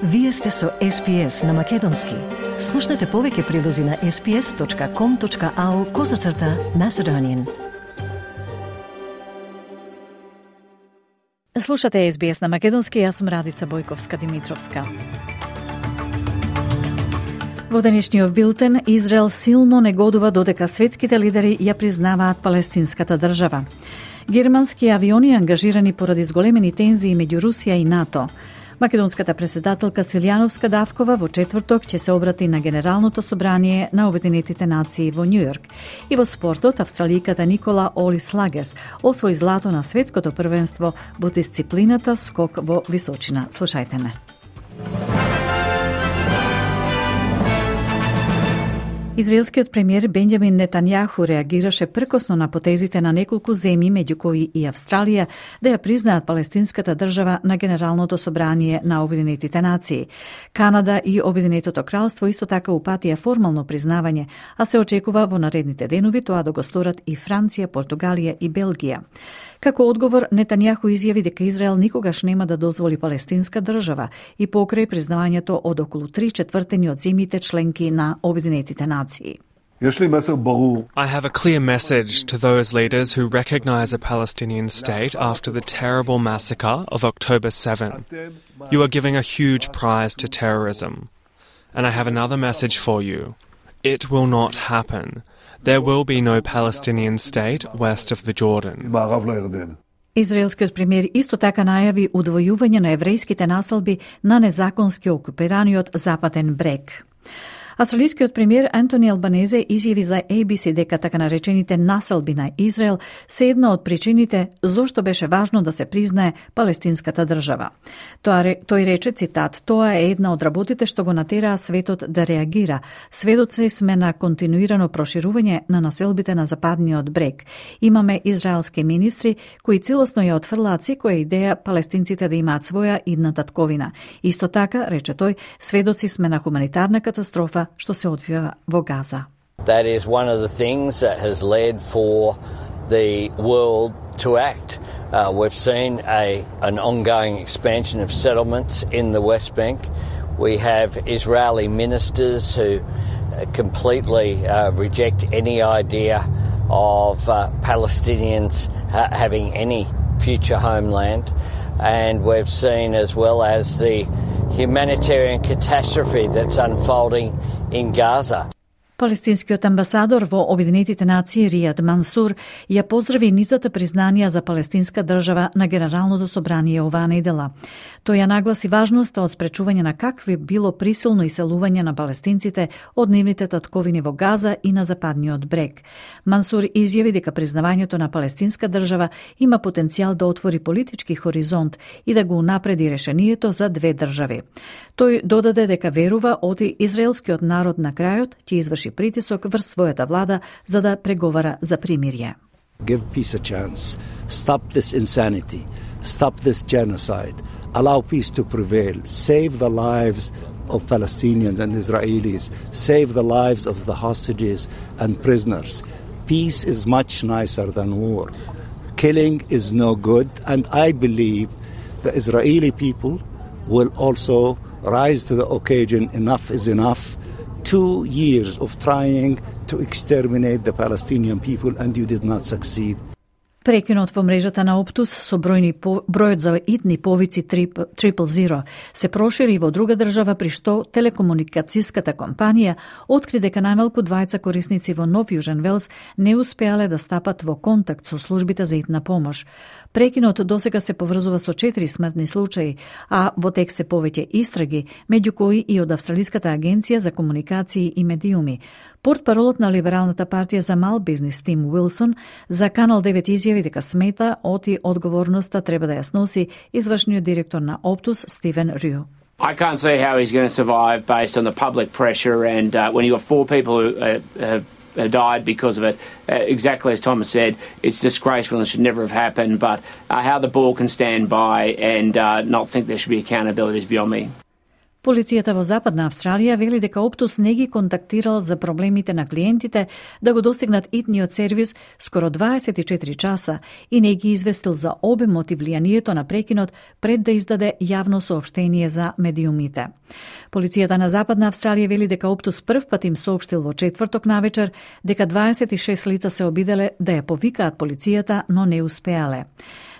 Вие сте со SPS на Македонски. Слушнете повеќе прилози на sps.com.au/Macedonian. Слушате SBS на Македонски, јас сум Радица Бојковска-Димитровска. Во денешниот билтен, Израел силно негодува додека светските лидери ја признаваат палестинската држава. Германски авиони ангажирани поради зголемени тензии меѓу Русија и НАТО. Македонската председателка Силјановска Давкова во четврток ќе се обрати на Генералното собрание на Обединетите нации во Њујорк. И во спортот, австраликата Никола Олис Лагерс освои злато на светското првенство во дисциплината скок во височина. Слушајте не. Израелскиот премиер Бенџамин Нетањаху реагираше пркосно на потезите на неколку земји, меѓу кои и Австралија, да ја признаат палестинската држава на Генералното собрание на Обединетите нации. Канада и Обединетото кралство исто така упатија формално признавање, а се очекува во наредните денови тоа да го сторат и Франција, Португалија и Белгија. Како одговор, Нетањаху изјави дека Израел никогаш нема да дозволи палестинска држава и покрај признавањето од околу 3/4 од земјите членки на Обединетите нации. I have a clear message to those leaders who recognize a Palestinian state after the terrible massacre of October 7. You are giving a huge prize to terrorism. And I have another message for you. It will not happen. There will be no Palestinian state west of the Jordan. Израелскиот премиер исто така најави удвојување на еврејските населби на незаконски окупираниот Западен брег. Австралискиот премиер Антони Албанезе изјави за ABC дека така наречените населби на Израел се една од причините зошто беше важно да се признае палестинската држава. Тој рече, цитат, тоа е една од работите што го натераа светот да реагира. Сведоци сме на континуирано проширување на населбите на Западниот брег. Имаме израелски министри кои целосно ја отфрлаат секоја идеја палестинците да имаат своја идна татковина. Исто така, рече тој, сведоци сме на хуманитарна катастрофа што се одвива во Газа. That is one of the things that has led for the world to act. We've seen an ongoing expansion of settlements in the West Bank. We have Israeli ministers who completely reject any idea of Palestinians having any future homeland. And we've seen as well as the humanitarian catastrophe that's unfolding in Gaza. Палестинскиот амбасадор во Обединетите нации Ријад Мансур ја поздрави низата признанија за палестинска држава на Генералното собрание оваа недела. Тој ја нагласи важноста од спречување на какви било присилно иселување на палестинците од нивните татковини во Газа и на Западниот брег. Мансур изјави дека признавањето на палестинска држава има потенцијал да отвори политички хоризонт и да го унапреди решението за две држави. Тој додаде дека верува оти израелскиот народ на крајот ќе изврши притисок врз својата влада за да преговара за примирје. Give peace a chance. Stop this insanity. Stop this genocide. Allow peace to prevail. Save the lives of Palestinians and Israelis. Save the lives of the hostages and prisoners. Peace is much nicer than war. Killing is no good, and I believe the Israeli people will also rise to the occasion. Enough is enough. 2 years of trying to exterminate the Palestinian people and you did not succeed. Прекинот во мрежата на Оптус со бројот за итни повици 000 се прошири во друга држава, при што телекомуникацијската компанија откри дека најмалку 2 корисници во Нов Јужен Велс не успеале да стапат во контакт со службите за итна помош. Прекинот досега се поврзува со 4 смртни случаи, а во тек се повеќе истраги, меѓу кои и од Австралиската агенција за комуникации и медиуми. Портпаролот на Либералната партија за мал бизнис Тим Уилсон за Канал 9 изјави дека смета оти одговорноста треба да ја сноси извршниот директор на Оптус Стивен Рю. I can't see how he's going to survive based on the public pressure, and when you've got 4 people who have died because of it, exactly as Thomas said, it's disgraceful and should never have happened, but how the board can stand by and not think there should be accountability is beyond me. Полицијата во Западна Австралија вели дека Оптус не ги контактирал за проблемите на клиентите да го достигнат итниот сервис скоро 24 часа и не ги известил за обемот и влијанието на прекинот пред да издаде јавно соопштение за медиумите. Полицијата на Западна Австралија вели дека Оптус прв пат им соопштил во четврток навечер дека 26 лица се обиделе да ја повикаат полицијата, но не успеале.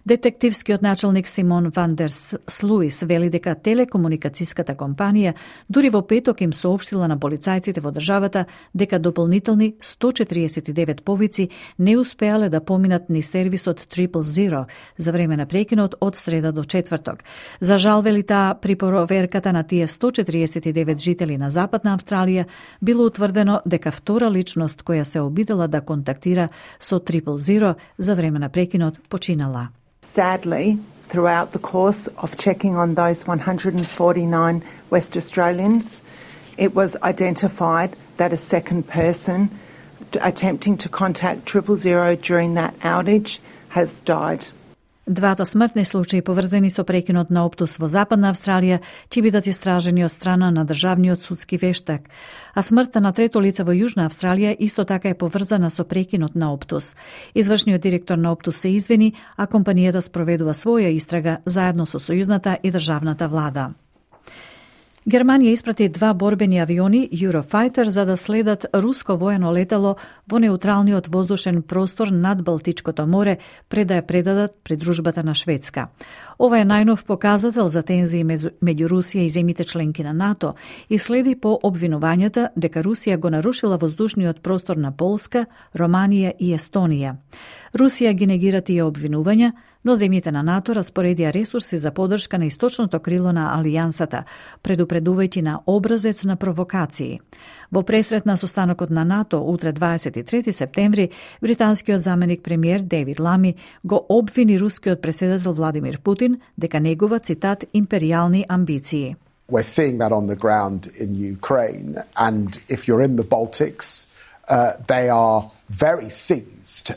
Детективскиот началник Симон Ван дер Слуис вели дека телекомуникацијската компанија дури во петок им соопштила на полицајците во државата дека дополнителни 149 повици не успеале да поминат ни сервисот 000 за време на прекинот од среда до четврток. За жал, вели таа, при проверката на тие 149 жители на Западна Австралија било утврдено дека втора личност која се обидела да контактира со 000 за време на прекинот починала. Sadly, throughout the course of checking on those 149 West Australians, it was identified that a second person attempting to contact 000 during that outage has died. Двата смртни случаи поврзани со прекинот на Оптус во Западна Австралија ќе бидат истражени од страна на државниот судски вештак, а смртта на трето лице во Јужна Австралија исто така е поврзана со прекинот на Оптус. Извршниот директор на Оптус се извини, а компанијата спроведува своја истрага заедно со сојузната и државната влада. Германија испрати 2 борбени авиони Eurofighter за да следат руско воено летало во неутралниот воздушен простор над Балтичкото море пред да ја предадат придружбата на Шведска. Ова е најнов показател за тензии меѓу Русија и земите членки на НАТО и следи по обвинувањата дека Русија го нарушила воздушниот простор на Полска, Романија и Естонија. Русија ги негира тие обвинувања, но земјите на НАТО распоредија ресурси за поддршка на источното крило на алијансата, предупредувајќи на образец на провокации. Во пресрет на состанокот на НАТО утре 23 септември, британскиот заменик премиер Дейвид Лами го обвини рускиот преседател Владимир Путин дека негува, цитат, империјални амбиции. We're seeing that on the ground in Ukraine, and if you're in the Baltics, they are very seized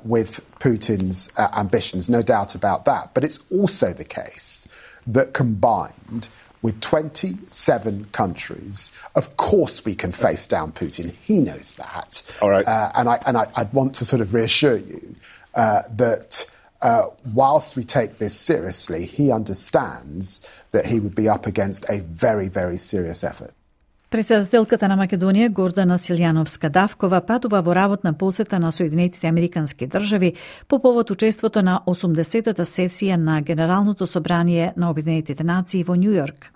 with Putin's ambitions, no doubt about that. But it's also the case that combined with 27 countries, of course we can face down Putin. He knows that. All right. And I'd want to sort of reassure you that whilst we take this seriously, he understands that he would be up against a very, very serious effort. Председателката на Македонија Гордана Силјановска-Давкова патува во работна посета на Соединетите Американски држави по повод учеството на 80-та сесија на Генералното собрание на Обединетите нации во Њујорк.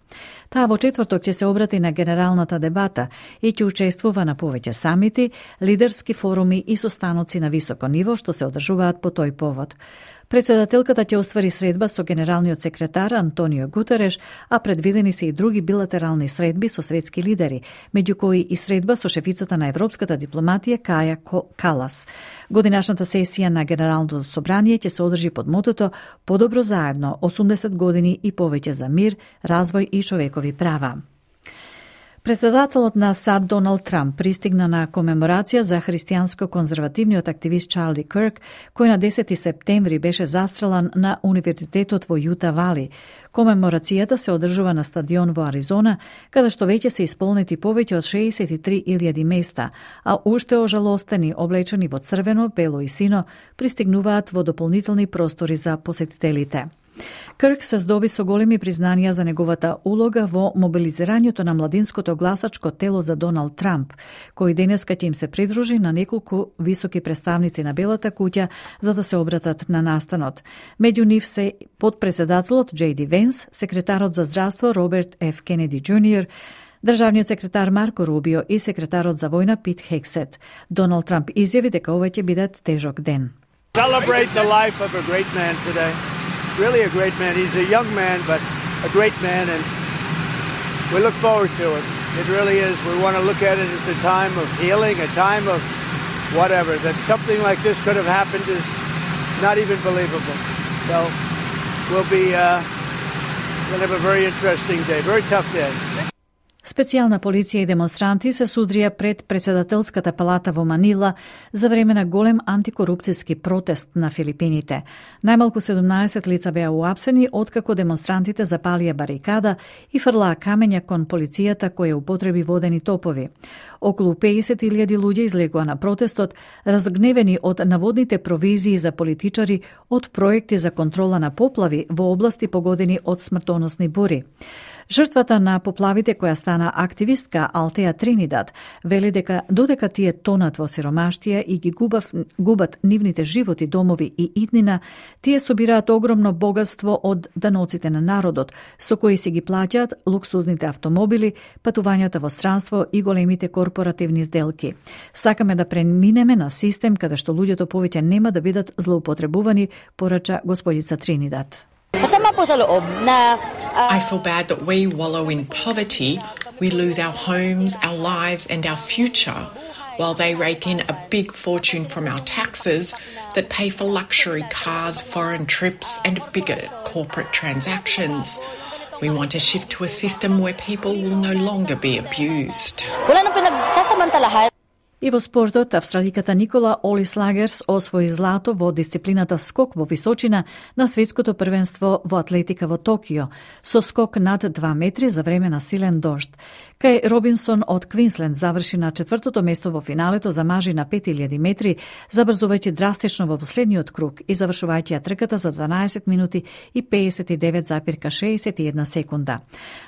Таа во четврток ќе се обрати на генералната дебата и ќе учествува на повеќе самити, лидерски форуми и состаноци на високо ниво што се одржуваат по тој повод. Председателката ќе оствари средба со генералниот секретар Антонио Гутереш, а предвидени се и други билатерални средби со светски лидери, меѓу кои и средба со шефицата на европската дипломатија Каја Калас. Годинашната сесија на Генералното собрание ќе се одржи под мотото "Подобро заедно, 80 години и повеќе за мир, развој и човекови права". Председателот на САД Доналд Трамп пристигна на комеморација за христијанско-конзервативниот активист Чарли Кирк, кој на 10 септември беше застрелан на Универзитетот во Јута Вали. Комеморацијата се одржува на стадион во Аризона, каде што веќе се исполнети повеќе од 63.000 места, а уште ожалостени, облечени во црвено, бело и сино, пристигнуваат во дополнителни простори за посетителите. Кирк се здоби со големи признанија за неговата улога во мобилизирањето на младинското гласачко тело за Доналд Трамп, кој денеска ќе им се придружи на неколку високи представници на Белата куќа за да се обратат на настанот. Меѓу нив се подпредседателот Джей Ди Венс, секретарот за здравство Роберт Ф. Кенеди Џуниор, државниот секретар Марко Рубио и секретарот за војна Пит Хексет. Доналд Трамп изјави дека ова ќе биде тежок ден. Celebrate the life of a great man today. Really a great man. He's a young man, but a great man, and we look forward to it. It really is. We want to look at it as a time of healing, a time of whatever. That something like this could have happened is not even believable. So we'll have a very interesting day, very tough day. Специјална полиција и демонстранти се судрија пред председателската палата во Манила за време на голем антикорупцијски протест на Филипините. Најмалку 17 лица беа уапсени откако демонстрантите запалија барикада и фрлаа камења кон полицијата која употреби водени топови. Околу 50.000 луѓе излегоа на протестот, разгневени од наводните провизии за политичари од проекти за контрола на поплави во области погодени од смртоносни бури. Жртвата на поплавите, која стана активистка Алтеа Тринидад, вели дека додека тие тонат во сиромаштија и ги губат нивните животи, домови и иднина, тие собираат огромно богатство од даноците на народот, со кои си ги плаќаат луксузните автомобили, патувањата во странство и големите корпоративни сделки. Сакаме да преминеме на систем каде што луѓето повеќе нема да бидат злоупотребувани, порача господица Тринидад. I feel bad that we wallow in poverty, we lose our homes, our lives and our future, while they rake in a big fortune from our taxes that pay for luxury cars, foreign trips and bigger corporate transactions. We want to shift to a system where people will no longer be abused. И во спортот, австраликата Никола Олис Лагерс освои злато во дисциплината скок во височина на светското првенство во атлетика во Токио, со скок над 2 метри за време на силен дожд. Кај Робинсон од Квинсленд заврши на 4-то место во финалето за мажи на 5000 метри, забрзувајќи драстично во последниот круг и завршувајќи ја трката за 12 минути и 59,61 секунда.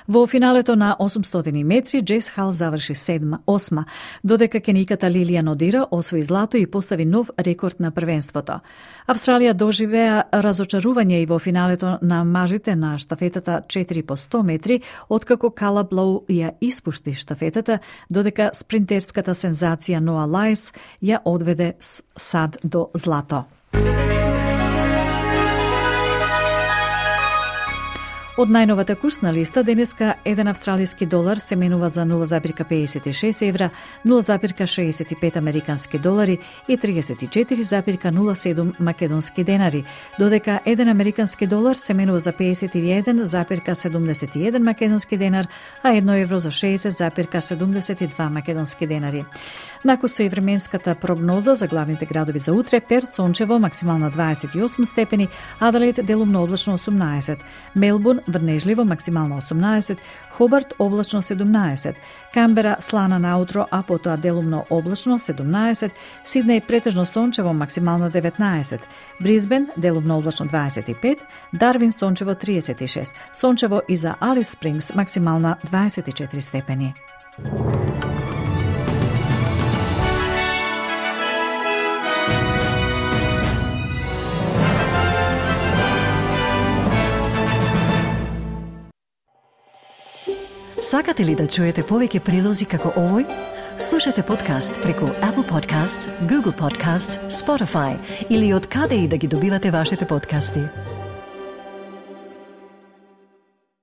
Во финалето на 800 метри, Джейс Хал заврши 8, додека кениката Лилијан Одира освои злато и постави нов рекорд на првенството. Австралија доживеа разочарување и во финалето на мажите на штафетата 4 по 100 метри, откако Калаб Лоу ја испушти штафетата, додека спринтерската сензација Ноа Лајс ја одведе сад до злато. Од најновата курсна листа, денеска 1 австралиски долар се менува за 0,56 евра, 0,65 американски долари и 34,07 македонски денари, додека 1 американски долар се менува за 51,71 македонски денар, а 1 евро за 60,72 македонски денари. Накусо и временската прогноза за главните градови за утре: Перт сончево, максимална 28 степени, Аделаид делумно облачно 18, Мелбурн врнежливо, максимално 18, Хобарт облачно 17, Камбера слана наутро, а потоа делумно облачно 17, Сиднеј претежно сончево, максимална 19, Брисбен делумно облачно 25, Дарвин сончево 36, сончево и за Алис Спрингс максимална 24 степени. Сакате ли да чуете повеќе прилози како овој? Слушате подкаст преку Apple Podcasts, Google Podcasts, Spotify или од каде и да ги добивате вашите подкасти.